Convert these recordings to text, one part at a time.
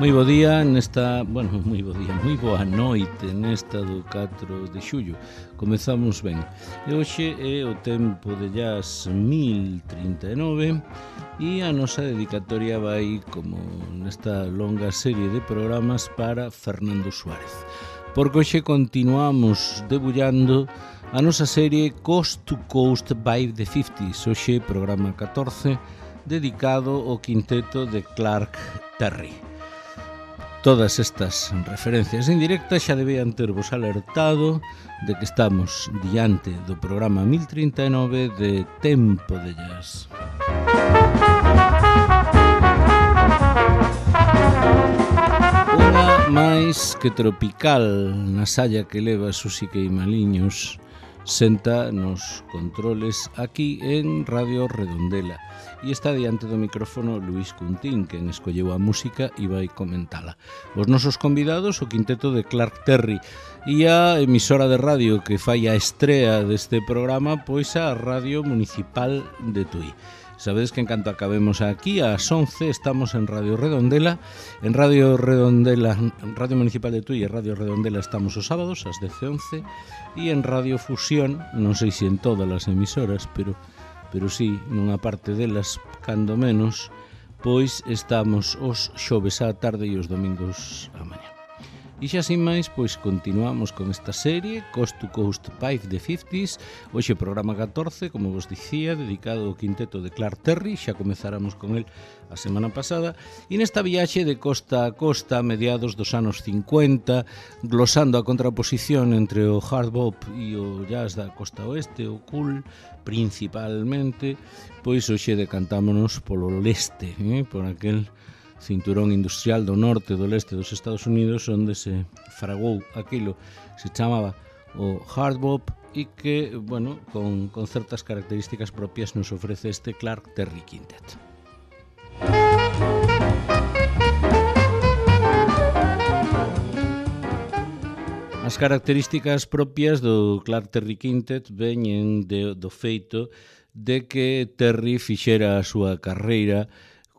Moi bo día nesta, moi boa noite nesta do 4 de xullo. Comezamos ben. E hoxe é o tempo de jazz 1039 e a nosa dedicatoria vai, como nesta longa serie de programas, para Fernando Suárez. Porque hoxe continuamos debullando a nosa serie Coast to Coast by the 50s. Hoxe programa 14 dedicado ao quinteto de Clark Terry. Todas estas referencias en directa xa debían tervos alertado de que estamos diante do programa 1039 de Tempo de Jazz. Unha máis que tropical na salla que leva Susi Queimaliños senta nos controles aquí en Radio Redondela e está diante do micrófono Luís Cuntín, quen escolleu a música e vai comentala. Os nosos convidados, o quinteto de Clark Terry e a emisora de radio que fai a estrea deste programa, pois a Radio Municipal de Tui. Sabedes que en canto acabemos aquí ás 11 estamos en Radio Redondela. En Radio Redondela, Radio Municipal de Tui e Radio Redondela estamos os sábados ás 10:11 e en Radio Fusión, non sei se en todas as emisoras, pero sí, nunha parte delas, cando menos, pois estamos os xoves á tarde e os domingos á mañá. E xa sin máis, pois continuamos con esta serie Coast to Coast by the 50s. Hoxe programa 14, como vos dicía, dedicado ao quinteto de Clark Terry. Xa comezáramos con el a semana pasada. E nesta viaxe de costa a costa, a mediados dos anos 50, glosando a contraposición entre o hard bop e o jazz da costa oeste, o cool principalmente, pois hoxe decantámonos polo leste, por aquel cinturón industrial do norte e do leste dos Estados Unidos, onde se fragou aquilo que se chamaba o hard bop e que, con certas características propias nos ofrece este Clark Terry Quintet. As características propias do Clark Terry Quintet veñen do feito de que Terry fixera a súa carreira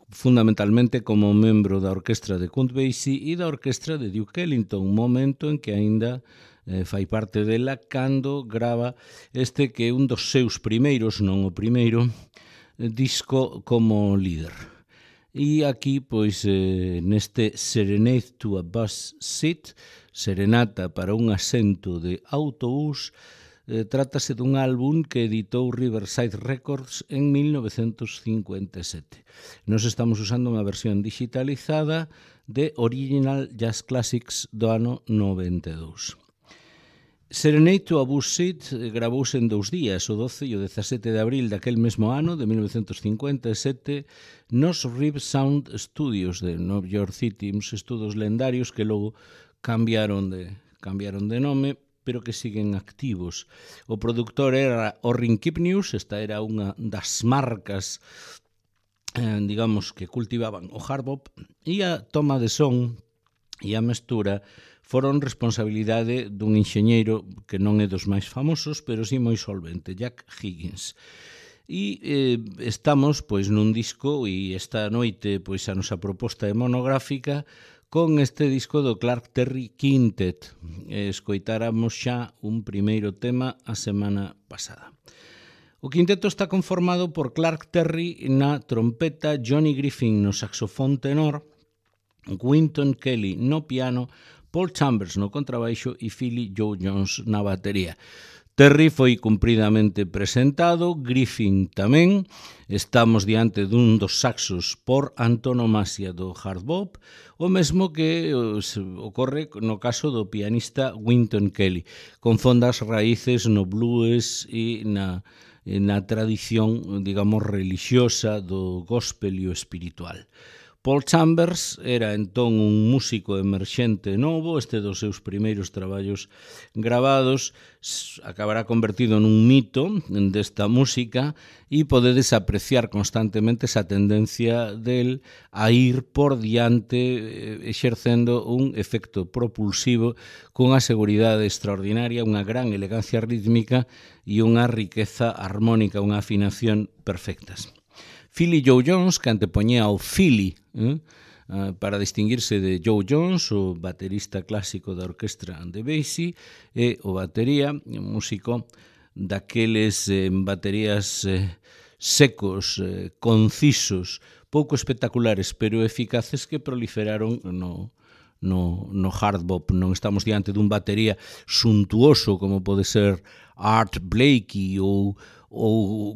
fundamentalmente como membro da orquestra de Count Basie e da orquestra de Duke Ellington, un momento en que aínda fai parte dela cando grava este que é un dos seus primeiros, non o primeiro, disco como líder. E aquí, pois, neste Serenade to a Bus Seat, Serenata para un asento de autobús, trátase dun álbum que editou Riverside Records en 1957. Nos estamos usando unha versión digitalizada de Original Jazz Classics do ano 92. Serenade to a Bus Seat gravouse en 2 días, o 12 e o 17 de abril daquel mesmo ano, de 1957, nos Rib Sound Studios de New York City, uns estudos lendarios que logo cambiaron de nome, pero que siguen activos. O produtor era Orrin Kipnius, esta era unha das marcas, digamos, que cultivaban o hard bop, e a toma de son e a mestura foron responsabilidade dun enxeñeiro que non é dos máis famosos, pero sí moi solvente, Jack Higgins. E estamos, pois, nun disco, e esta noite, pois, a nosa proposta é monográfica, con este disco do Clark Terry Quintet. Escoitáramos xa un primeiro tema a semana pasada. O quinteto está conformado por Clark Terry na trompeta, Johnny Griffin no saxofón tenor, Wynton Kelly no piano, Paul Chambers no contrabaixo e Philly Joe Jones na batería. Terry foi cumpridamente presentado, Griffin tamén. Estamos diante dun dos saxos por antonomasia do hard bop, o mesmo que ocorre no caso do pianista Wynton Kelly, con fondas raíces no blues e na tradición, digamos, religiosa do gospel e o espiritual. Paul Chambers era entón un músico emerxente novo, este dos seus primeiros traballos gravados acabará convertido nun mito desta música e podedes apreciar constantemente esa tendencia del a ir por diante exercendo un efecto propulsivo cunha seguridade extraordinaria, unha gran elegancia rítmica e unha riqueza armónica, unha afinación perfectas. Philly Joe Jones, que antepoñía ao Philly para distinguirse de Joe Jones, o baterista clásico da orquestra de Basie, e o batería, un músico daqueles baterías secos, concisos, pouco espectaculares, pero eficaces que proliferaron no hard bop. Non estamos diante dun batería suntuoso como pode ser Art Blakey ou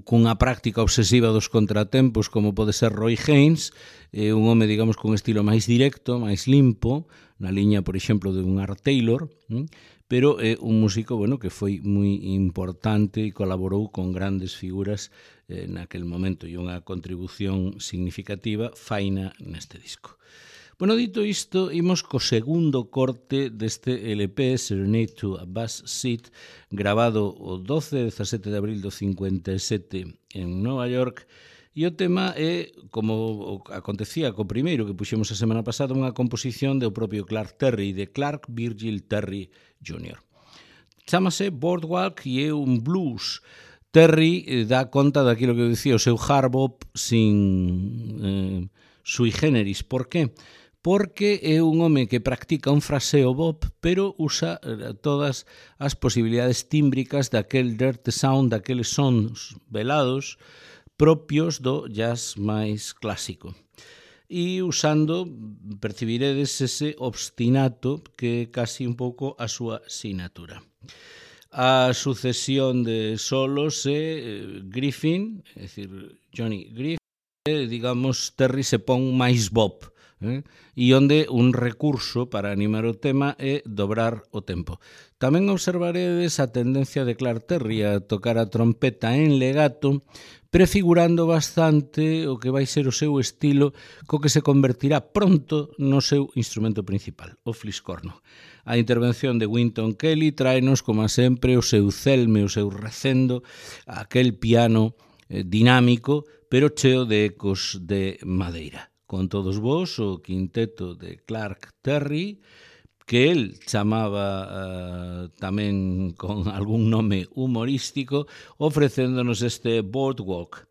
cunha práctica obsesiva dos contratempos como pode ser Roy Haynes, un home, digamos, con estilo máis directo, máis limpo, na liña, por exemplo, de un Art Taylor, pero é un músico, bueno, que foi moi importante e colaborou con grandes figuras naquel momento e unha contribución significativa faina neste disco. Bueno, dito isto, imos co segundo corte deste LP, Serenade to a Bus Seat, grabado o 12 e 17 de abril do 57 en Nova York, e o tema é, como acontecía co primeiro que puxemos a semana pasada, unha composición do propio Clark Terry, de Clark Virgil Terry Jr. Chámase Boardwalk e é un blues. Terry dá conta daquilo que eu dicía, o seu hard bop sin sui generis. Por qué? Porque é un home que practica un fraseo bop, pero usa todas as posibilidades tímbricas daquel dirty sound, daqueles sons velados propios do jazz máis clásico. E usando, percibiredes ese obstinato que é casi un pouco a súa sinatura. A sucesión de solos é Griffin, é dicir, Johnny Griffin, digamos, Terry se pon máis bop, e onde un recurso para animar o tema é dobrar o tempo. Tamén observaredes a tendencia de Clark Terry a tocar a trompeta en legato, prefigurando bastante o que vai ser o seu estilo, co que se convertirá pronto no seu instrumento principal, o fliscorno. A intervención de Wynton Kelly traenos, como sempre, o seu celme, o seu recendo, aquel piano dinámico, pero cheo de ecos de madeira. Con todos vos, o quinteto de Clark Terry, que el chamaba tamén con algún nome humorístico, ofrecéndonos este Boardwalk.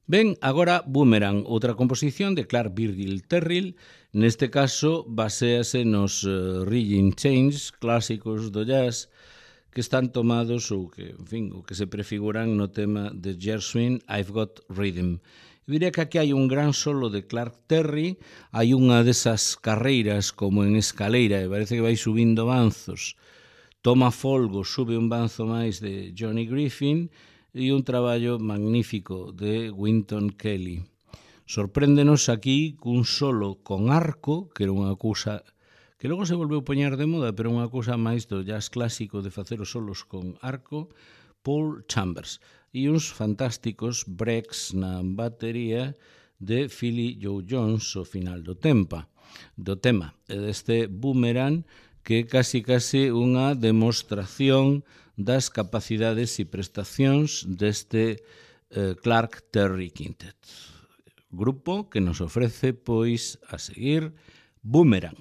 Ben, agora Boomerang, outra composición de Clark Virgil Terrell, neste caso baséase nos Rigging Chains clásicos do jazz que están tomados ou que, en fin, o que se prefiguran no tema de Gershwin, I've Got Rhythm. Eu diría que aquí hai un gran solo de Clark Terry, hai unha desas carreiras como en escaleira, e parece que vai subindo banzos, toma folgo, sube un banzo máis de Johnny Griffin, e un traballo magnífico de Wynton Kelly. Sorpréndenos aquí cun solo con arco, que era unha cousa que logo se volveu poñer de moda, pero unha cousa máis do jazz clásico de facer os solos con arco, Paul Chambers, e uns fantásticos breaks na batería de Philly Joe Jones ao final do tema, e deste Boomerang, que é casi unha demostración das capacidades e prestacións deste Clark Terry Quintet. Grupo que nos ofrece, pois, a seguir, Boomerang.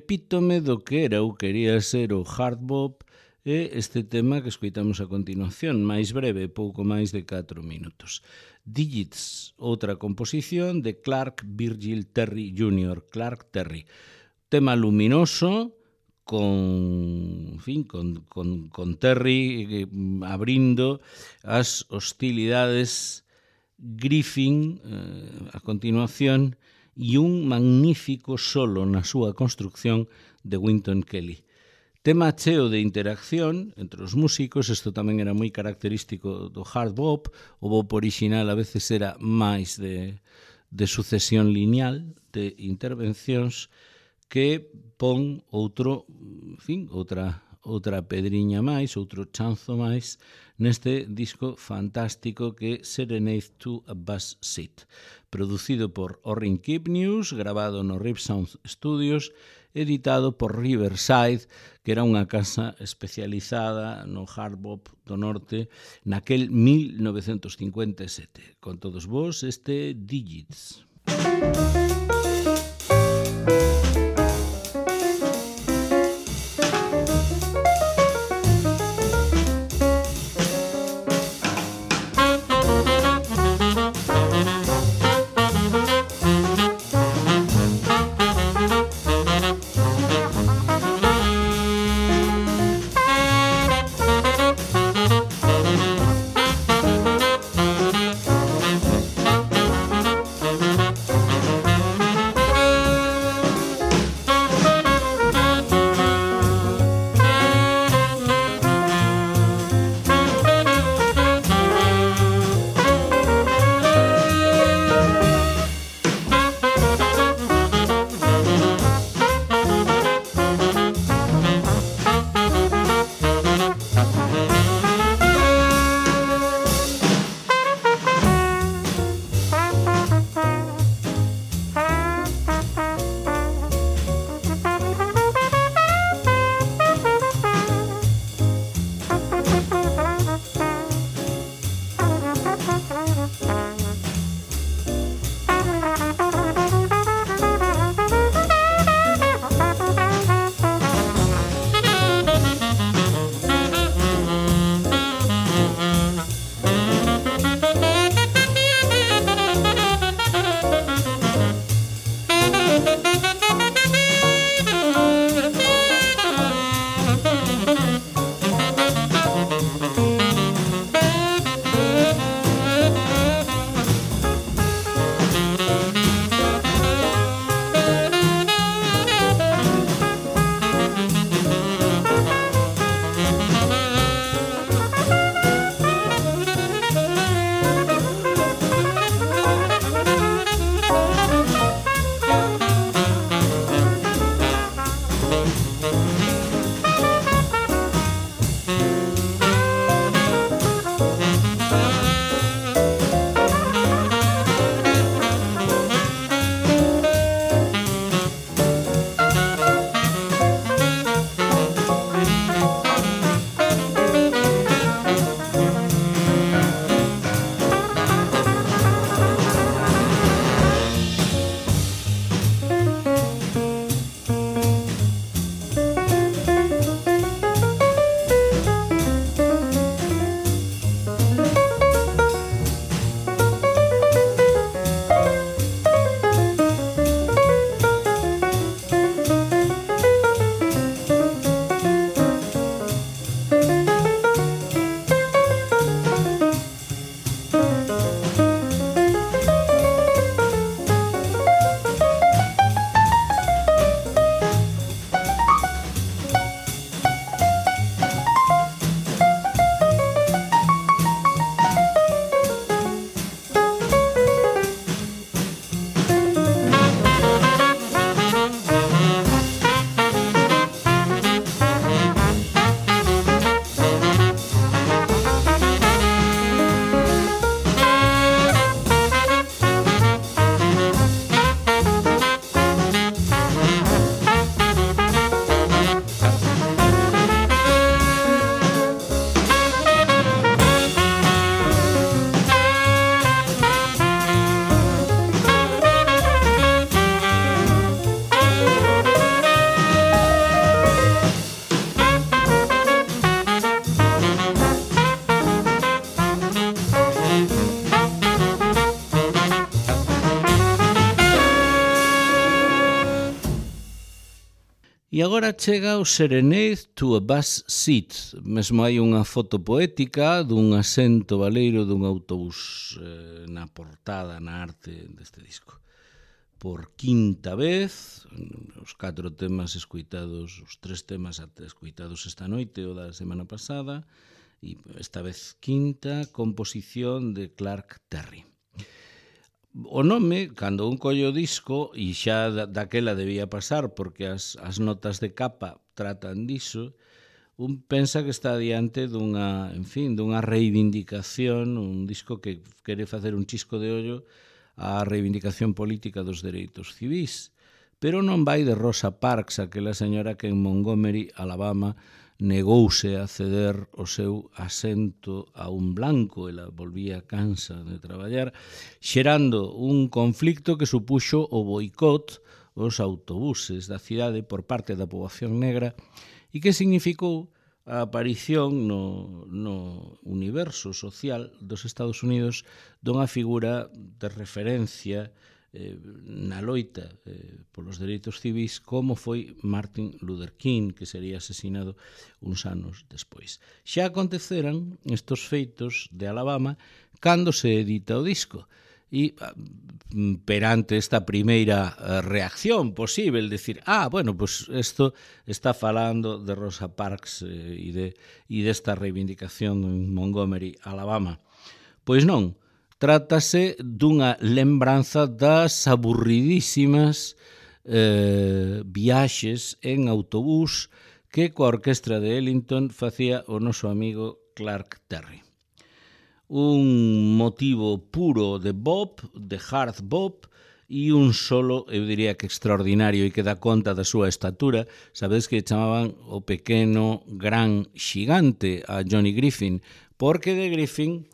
epítome do que era ou quería ser o hard bop e este tema que escoitamos a continuación, máis breve, pouco máis de 4 minutos. Digits, outra composición de Clark Virgil Terry Jr., Clark Terry. Tema luminoso, con Terry abrindo as hostilidades Griffin a continuación e un magnífico solo na súa construcción de Wynton Kelly. Tema cheo de interacción entre os músicos, isto tamén era moi característico do hard bop, o bop original a veces era máis de sucesión lineal de intervencións que pon outra pedriña máis, outro chanzo máis neste disco fantástico que é Serenade to a Bass Seat, producido por Orrin Kipnius, grabado no Rip Sound Studios, editado por Riverside, que era unha casa especializada no hard bop do norte naquel 1957. Con todos vos, este Digits. E agora chega o Serenade to a Bus Seat. Mesmo hai unha foto poética dun asento baleiro dun autobús na portada, na arte deste disco. Por quinta vez, os 4 temas escoitados, os 3 temas escoitados esta noite ou da semana pasada, e esta vez quinta composición de Clark Terry. O nome, cando un collo o disco, e xa daquela debía pasar porque as notas de capa tratan diso, un pensa que está diante dunha reivindicación, un disco que quere facer un chisco de ollo á reivindicación política dos dereitos civís. Pero non vai de Rosa Parks, aquela señora que en Montgomery, Alabama, negouse a ceder o seu asento a un blanco. Ela volvía cansa de traballar, xerando un conflicto que supuxo o boicot aos autobuses da cidade por parte da poboación negra e que significou a aparición no universo social dos Estados Unidos dunha figura de referencia na loita polos dereitos civís como foi Martin Luther King, que sería asesinado uns anos despois. Xa aconteceran estos feitos de Alabama cando se edita o disco e perante esta primeira reacción posible, decir, pues isto está falando de Rosa Parks e desta reivindicación en Montgomery, Alabama. Pois non, trátase dunha lembranza das aburridísimas viaxes en autobús que coa orquestra de Ellington facía o noso amigo Clark Terry. Un motivo puro de bop, de hard bop, e un solo, eu diría que extraordinario e que dá conta da súa estatura. Sabedes que chamaban o pequeno gran xigante a Johnny Griffin, porque de Griffin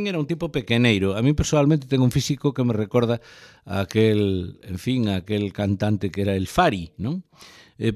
era un tipo pequeneiro. A mí personalmente tengo un físico que me recorda a aquel cantante que era el Fari, non? En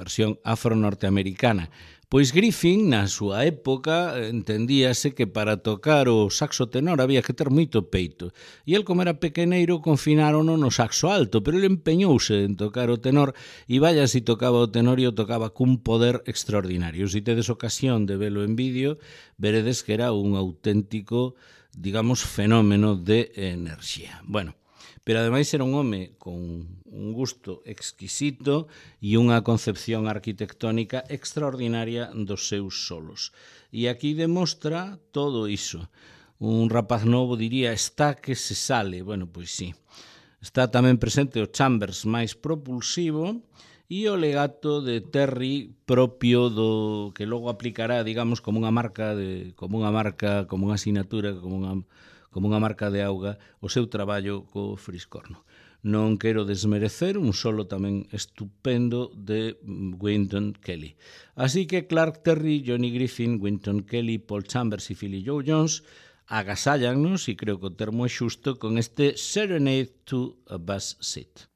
versión afro-norteamericana. Pois Griffin, na súa época, entendíase que para tocar o saxo tenor había que ter moito peito. E el, como era pequeneiro, confinárono no saxo alto, pero ele empeñouse en tocar o tenor, e vaya si tocaba o tenor e o tocaba cun poder extraordinario. Se tedes ocasión de velo en vídeo, veredes que era un auténtico, digamos, fenómeno de enerxía. Bueno, pero ademais era un home con un gusto exquisito e unha concepción arquitectónica extraordinaria dos seus solos. E aquí demostra todo iso. Un rapaz novo diría, está que se sale. Bueno, pois sí. Está tamén presente o chambers máis propulsivo e o legato de Terry propio do que logo aplicará, digamos, como unha asinatura, como unha marca de auga, o seu traballo co friscorno. Non quero desmerecer un solo tamén estupendo de Wynton Kelly. Así que Clark Terry, Johnny Griffin, Wynton Kelly, Paul Chambers e Philly Joe Jones agasállanos, e creo que o termo é xusto, con este Serenade to a Bus Seat.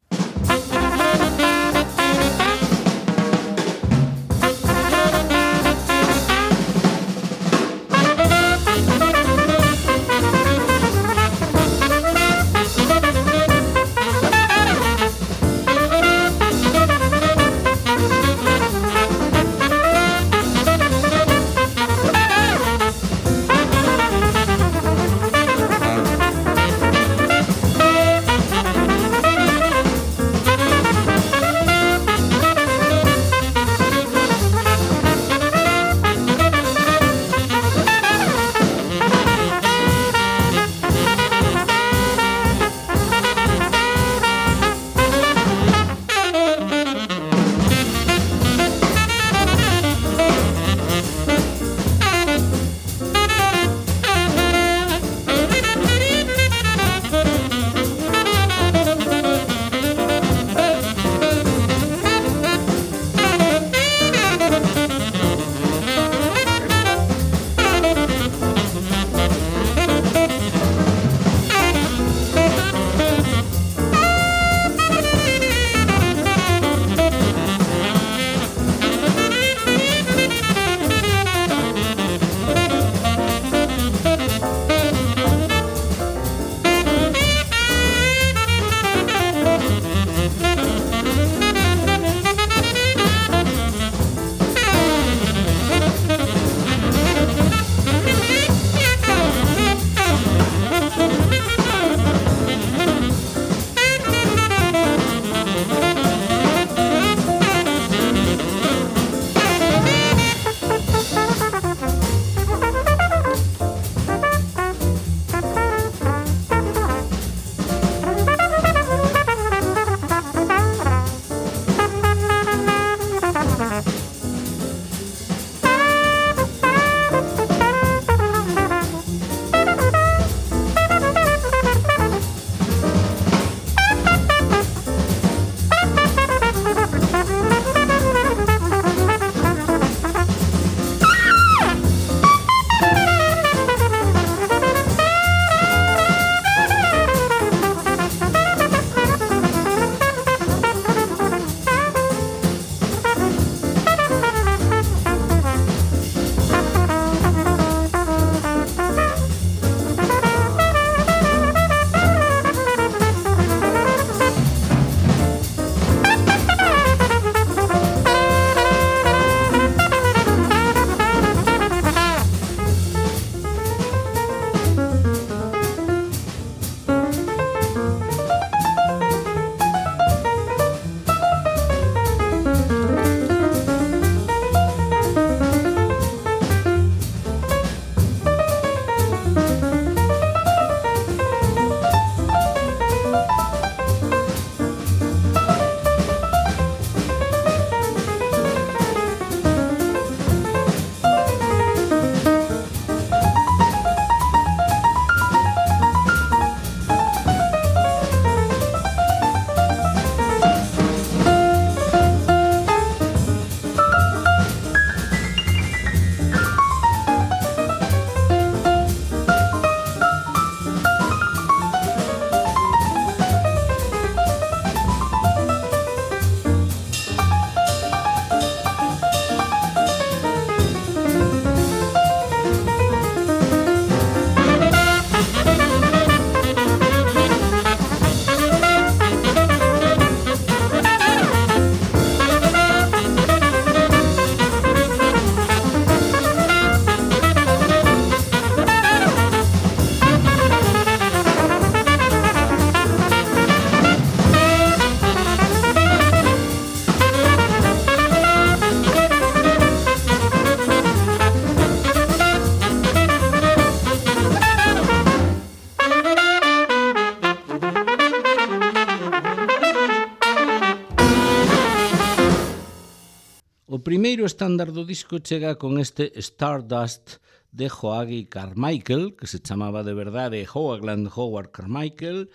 O primeiro estándar do disco chega con este Stardust de Hoagy Carmichael, que se chamaba de verdade Hoagland Howard Carmichael,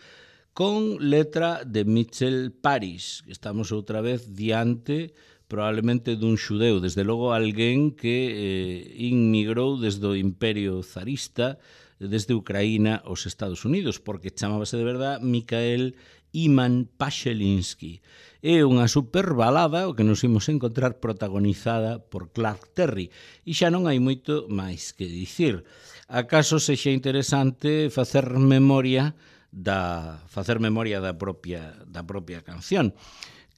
con letra de Mitchell Parish. Estamos outra vez diante probablemente dun xudeu, desde logo alguén que inmigrou desde o Imperio Zarista, desde Ucraína aos Estados Unidos, porque chamábase de verdade Mikhail Iman Pashelinsky. É unha superbalada o que nos imos encontrar protagonizada por Clark Terry. E xa non hai moito máis que dicir. Acaso sexa interesante facer memoria da propia canción.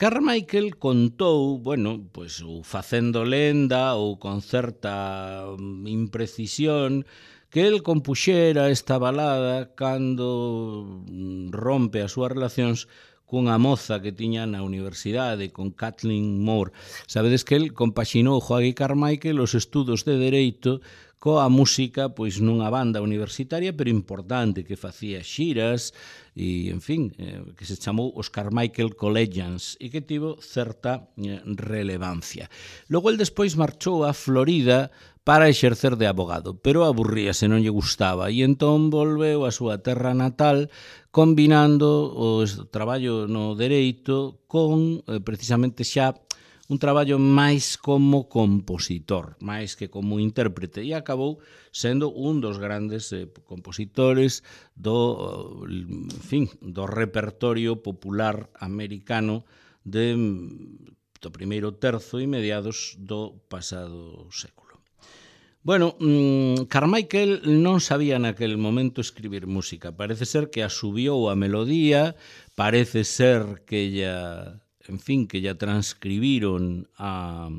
Carmichael contou, bueno, pois ou facendo lenda ou con certa imprecisión, que el compuxera esta balada cando rompe as súas relacións cunha moza que tiña na universidade, con Kathleen Moore. Sabedes que el compaxinou Hoagy Carmichael os estudos de Dereito coa música pois nunha banda universitaria pero importante que facía xiras e, en fin, que se chamou os Carmichael Collegians e que tivo certa relevancia. Logo el despois marchou a Florida para exercer de abogado, pero aburríase, non lle gustaba, e entón volveu á súa terra natal combinando o traballo no dereito con, precisamente xa, un traballo máis como compositor, máis que como intérprete, e acabou sendo un dos grandes compositores do repertorio popular americano do primeiro terzo e mediados do pasado século. Bueno, Carmichael non sabía naquel momento escribir música. Parece ser que asubiou a melodía, parece ser que ella transcribiron a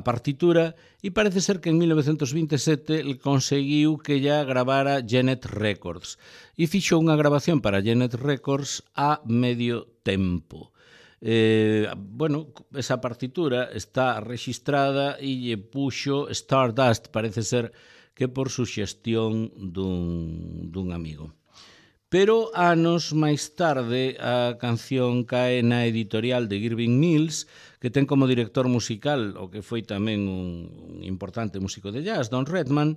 partitura e parece ser que en 1927 conseguiu que ella gravara Genet Records e fixo unha grabación para Genet Records a medio tempo. Esa partitura está rexistrada e lle puxo Stardust, parece ser que por suxestión dun amigo. Pero anos máis tarde a canción cae na editorial de Irving Mills, que ten como director musical o que foi tamén un importante músico de jazz, Don Redman,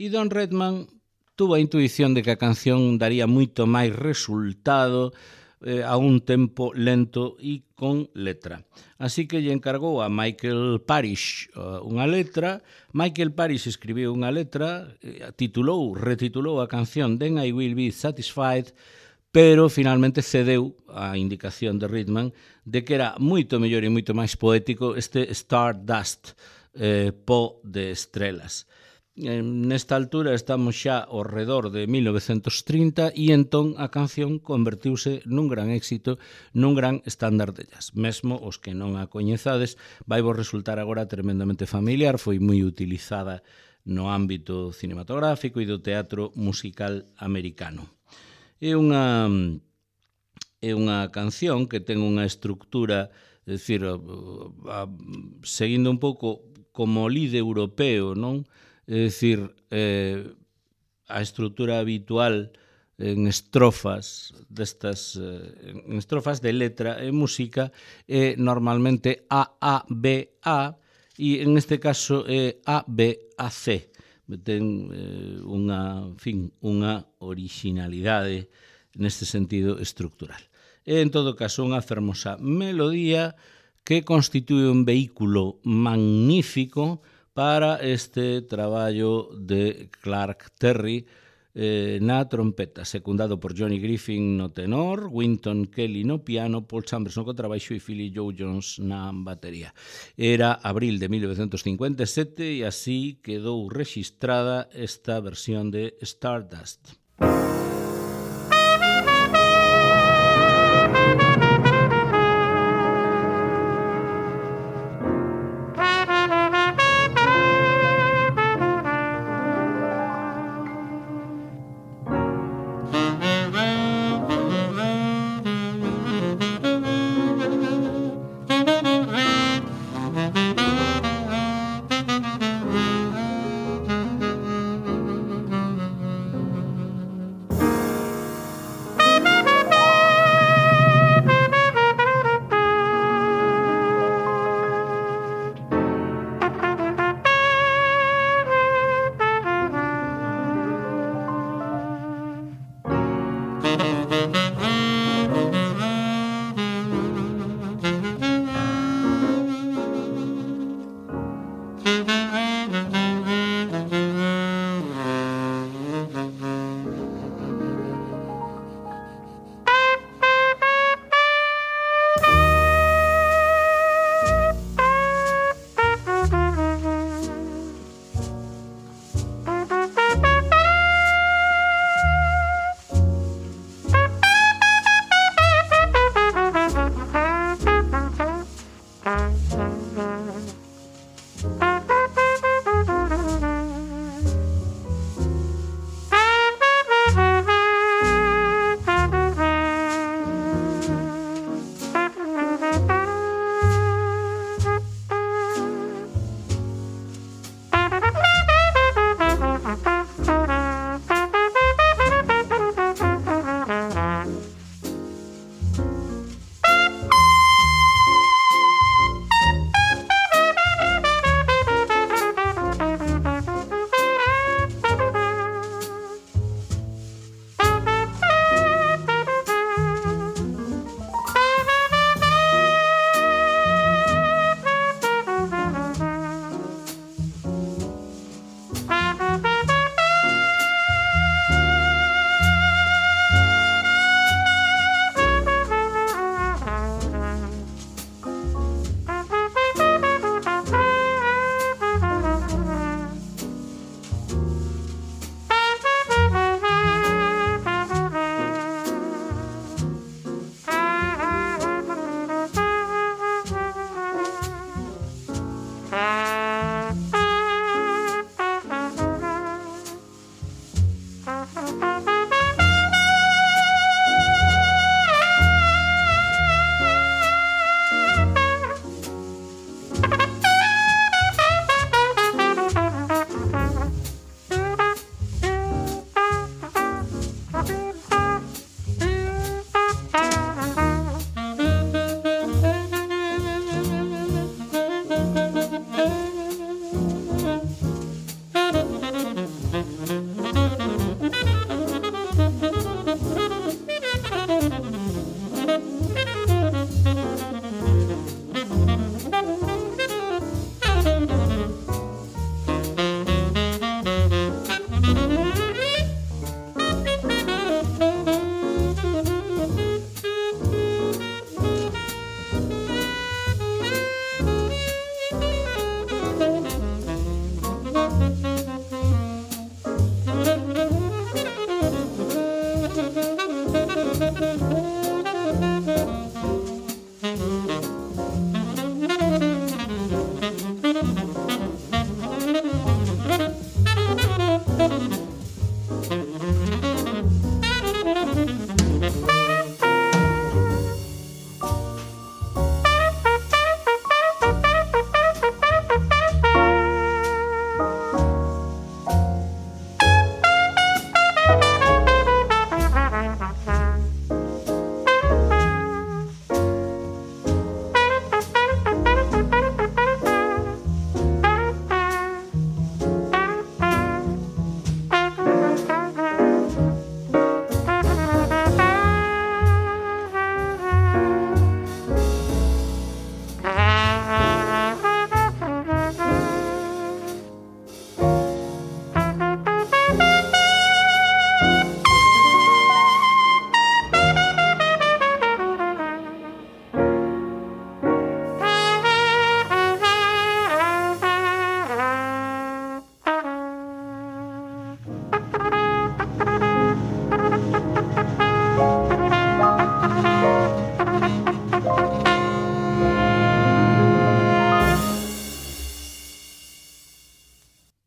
e Don Redman tuvo a intuición de que a canción daría moito máis resultado a un tempo lento e con letra. Así que lle encargou a Michael Parish unha letra. Michael Parish escribiu unha letra, retitulou a canción Then I Will Be Satisfied, pero finalmente cedeu a indicación de Redman de que era moito mellor e moito máis poético este Stardust, pó de estrelas. Nesta altura estamos xa ao redor de 1930 e entón a canción convertiuse nun gran éxito, nun gran estándar de jazz. Mesmo os que non a coñezades vai vos resultar agora tremendamente familiar, foi moi utilizada no ámbito cinematográfico e do teatro musical americano. É unha canción que ten unha estructura, é dicir, seguindo un pouco como líder europeo, non? É dicir, a estrutura habitual en estrofas en estrofas de letra e música é normalmente A-A-B-A e en este caso é A-B-A-C. Ten unha originalidade neste sentido estructural. É en todo caso unha fermosa melodía que constitúe un vehículo magnífico para este traballo de Clark Terry na trompeta, secundado por Johnny Griffin no tenor, Wynton Kelly no piano, Paul Chambers no contrabaixo e Philly Joe Jones na batería. Era abril de 1957 e así quedou rexistrada esta versión de Stardust.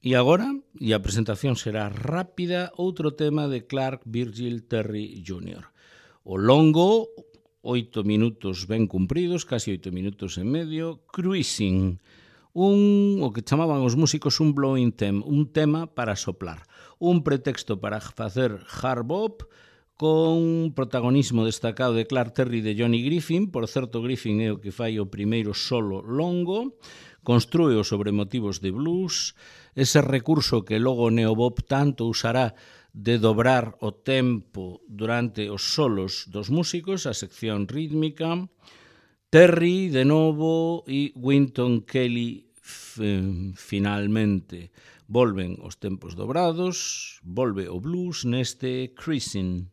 E agora, e a presentación será rápida, outro tema de Clark Virgil Terry Jr. O longo, 8 minutos ben cumpridos, casi 8 minutos e medio, Cruising, o que chamaban os músicos un blowing theme, un tema para soplar, un pretexto para facer hard bop, con protagonismo destacado de Clark Terry e de Johnny Griffin. Por certo, Griffin é o que fai o primeiro solo longo, construío sobre motivos de blues, ese recurso que logo o neobop tanto usará de dobrar o tempo durante os solos dos músicos, a sección rítmica. Terry, de novo, e Wynton Kelly, finalmente. Volven os tempos dobrados, volve o blues neste Cruising.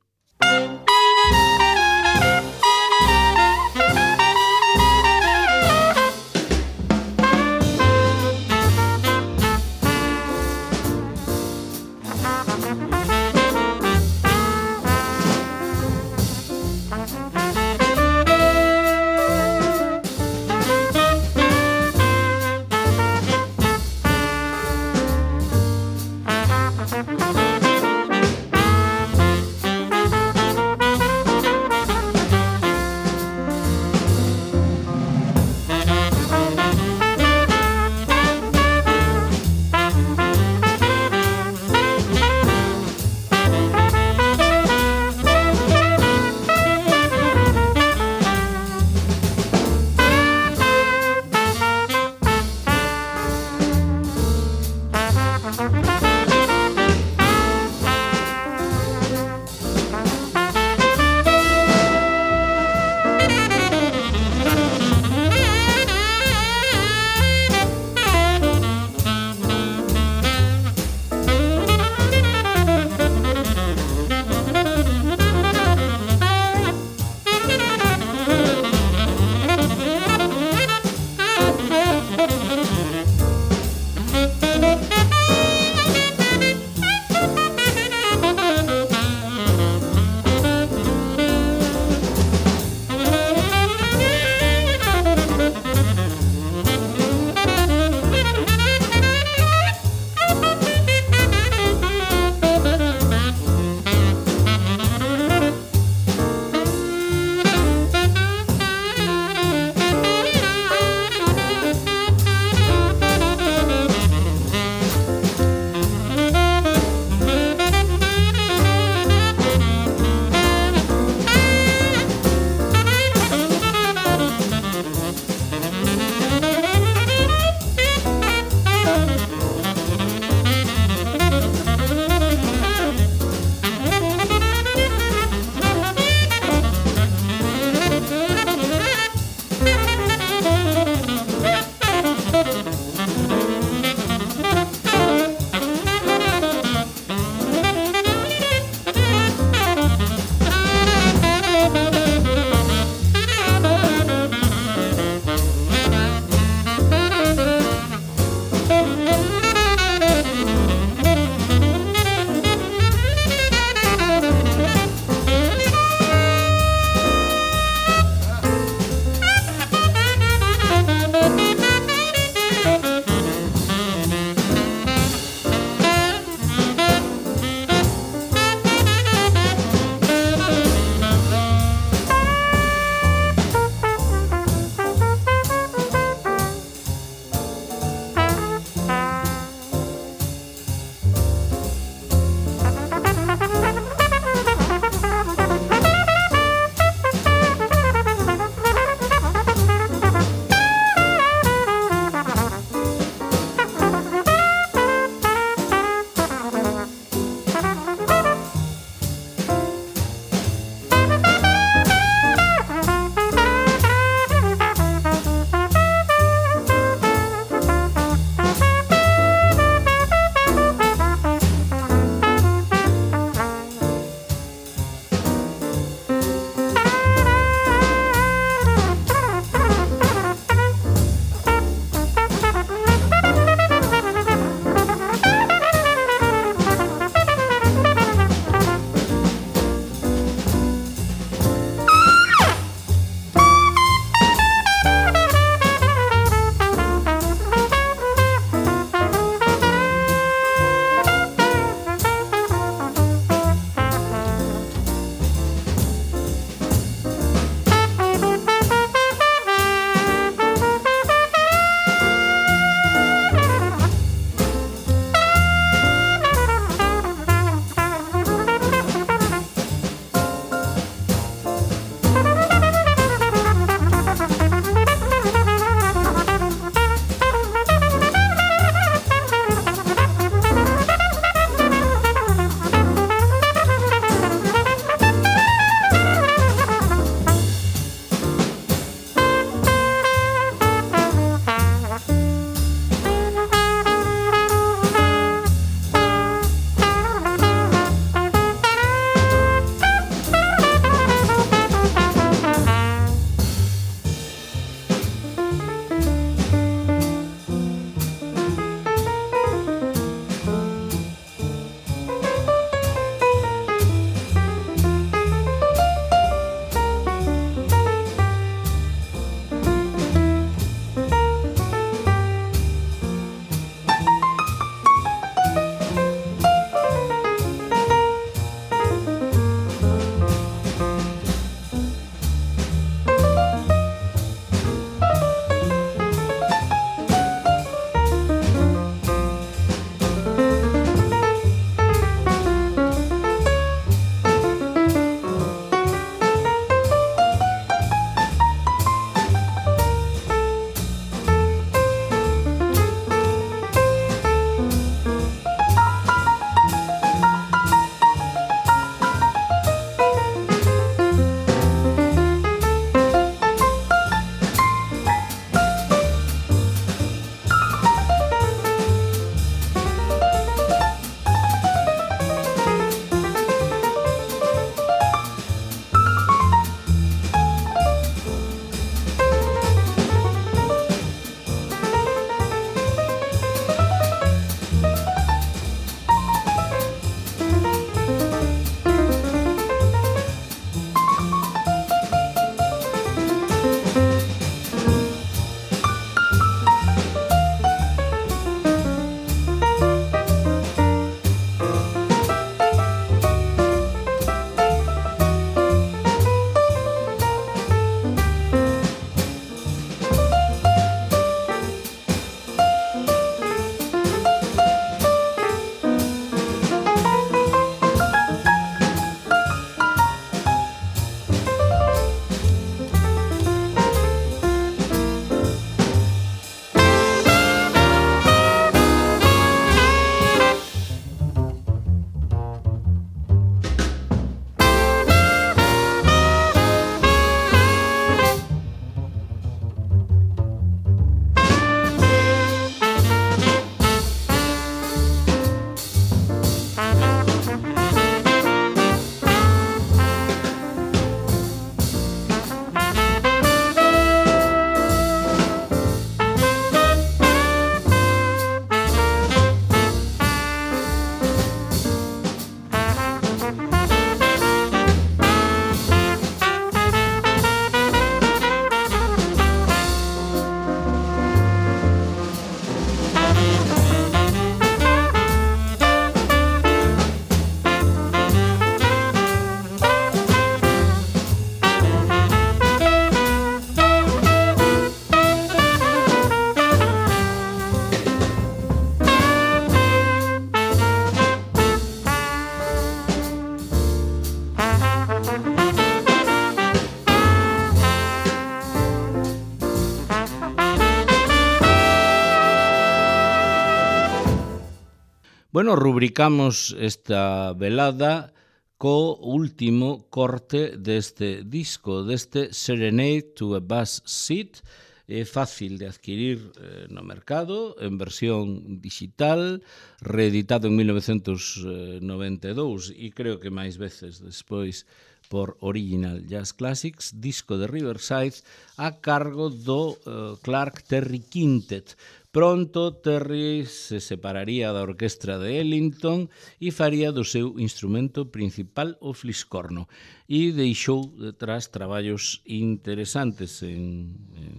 Bueno, rubricamos esta velada co último corte deste disco, deste Serenade to a Bus Seat. É fácil de adquirir no mercado, en versión digital, reeditado en 1992 e creo que máis veces despois por Original Jazz Classics, disco de Riverside, a cargo do Clark Terry Quintet. Pronto Terry se separaría da orquestra de Ellington e faría do seu instrumento principal o fliscorno e deixou detrás traballos interesantes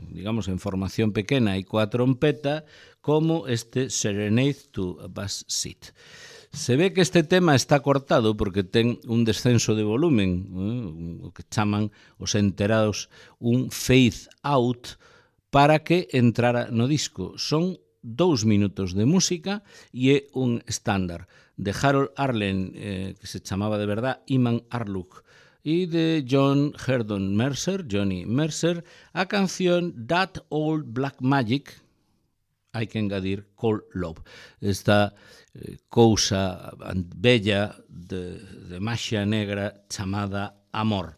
digamos, en formación pequena e coa trompeta como este Serenade to a Bus Seat. Se ve que este tema está cortado porque ten un descenso de volumen, o que chaman os enterados un fade out, para que entrara no disco. Son 2 minutos de música e é un estándar de Harold Arlen, que se chamaba de verdad Iman Arluk, e de John Herdon Mercer, Johnny Mercer, a canción That Old Black Magic, hai que engadir Cold Love, esta cousa bella de maxia negra chamada amor.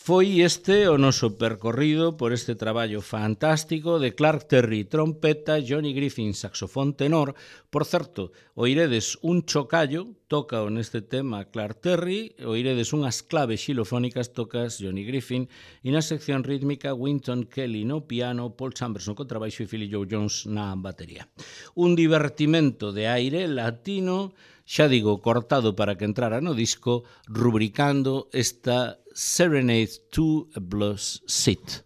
Foi este o noso percorrido por este traballo fantástico de Clark Terry, trompeta, Johnny Griffin, saxofón tenor. Por certo, oiredes un chocallo, toca neste tema Clark Terry, oiredes unhas claves xilofónicas, tocas Johnny Griffin, e na sección rítmica Wynton Kelly no piano, Paul Chambers no contrabaixo e Philly Joe Jones na batería. Un divertimento de aire latino, xa digo, cortado para que entrara no disco, rubricando esta Serenade to a Bus Seat.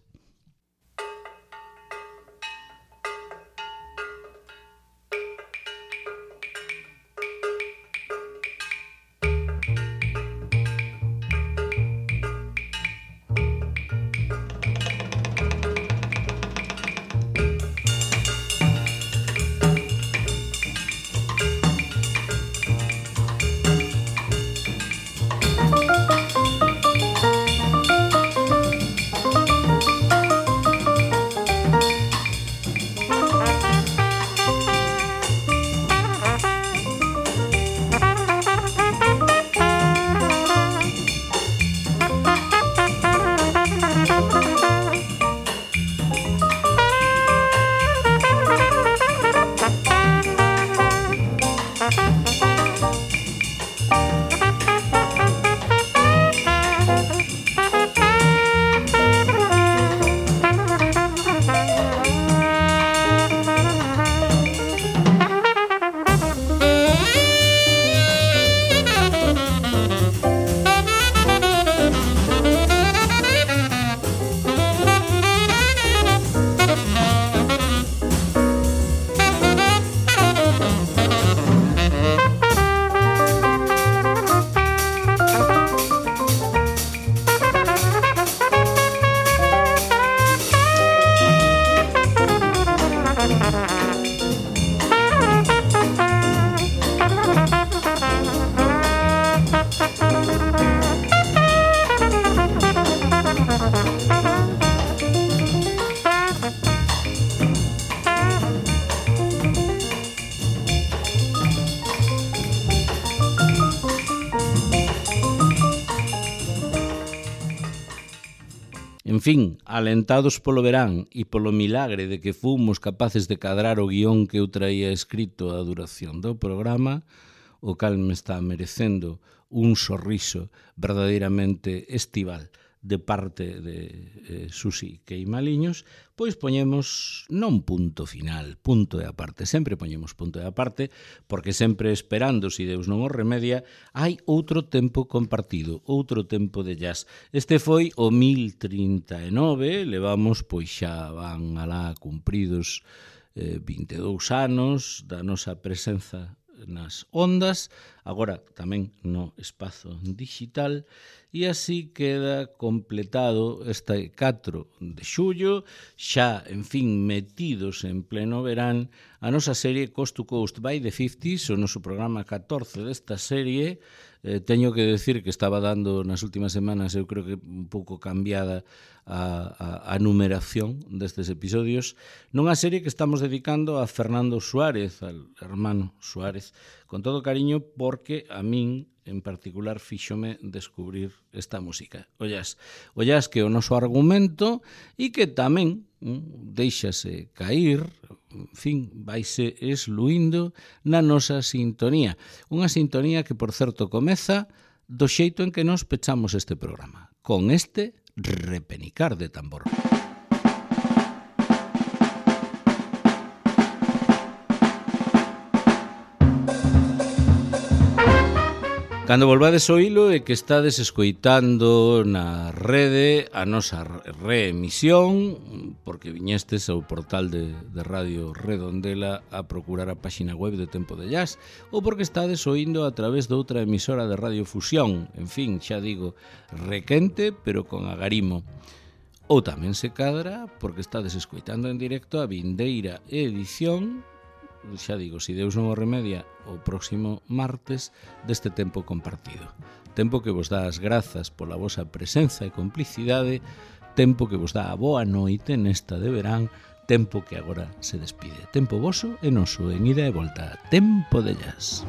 En fin, alentados polo verán e polo milagre de que fomos capaces de cadrar o guión que eu traía escrito a duración do programa, o cal me está merecendo un sorriso verdadeiramente estival de parte de Susi Queimaliños, pois poñemos non punto final, punto e aparte. Sempre poñemos punto e aparte, porque sempre esperando, se Deus non o remedia, hai outro tempo compartido, outro tempo de jazz. Este foi o 1039, levamos, pois xa van alá cumpridos 22 anos da nosa presenza nas ondas, agora tamén no espazo digital, e así queda completado este 4 de xullo, xa, en fin, metidos en pleno verán, a nosa serie Coast to Coast by the 50s, o noso programa 14 desta serie. Teño que decir que estaba dando nas últimas semanas, eu creo que un pouco cambiada a numeración destes episodios, nunha serie que estamos dedicando a Fernando Suárez, al hermano Suárez, con todo cariño, porque a min en particular fíxome descubrir esta música. Ollas que o noso argumento e que tamén deixase cair, en fin, vaise esluindo na nosa sintonía. Unha sintonía que, por certo, comeza do xeito en que nos pechamos este programa, con este repenicar de tambor. Cando volvades o hilo e que estades escoitando na rede a nosa reemisión, porque viñestes ao portal de Radio Redondela a procurar a páxina web de Tempo de Jazz, ou porque estades oindo a través de outra emisora de Radio Fusión, en fin, xa digo, requente, pero con agarimo. Ou tamén se cadra porque estades escoitando en directo a vindeira edición, xa digo, se Deus non o remedia, o próximo martes deste tempo compartido. Tempo que vos dá as grazas pola vosa presenza e complicidade, tempo que vos dá a boa noite nesta de verán, tempo que agora se despide. Tempo voso e noso en ida e volta. Tempo de Jazz.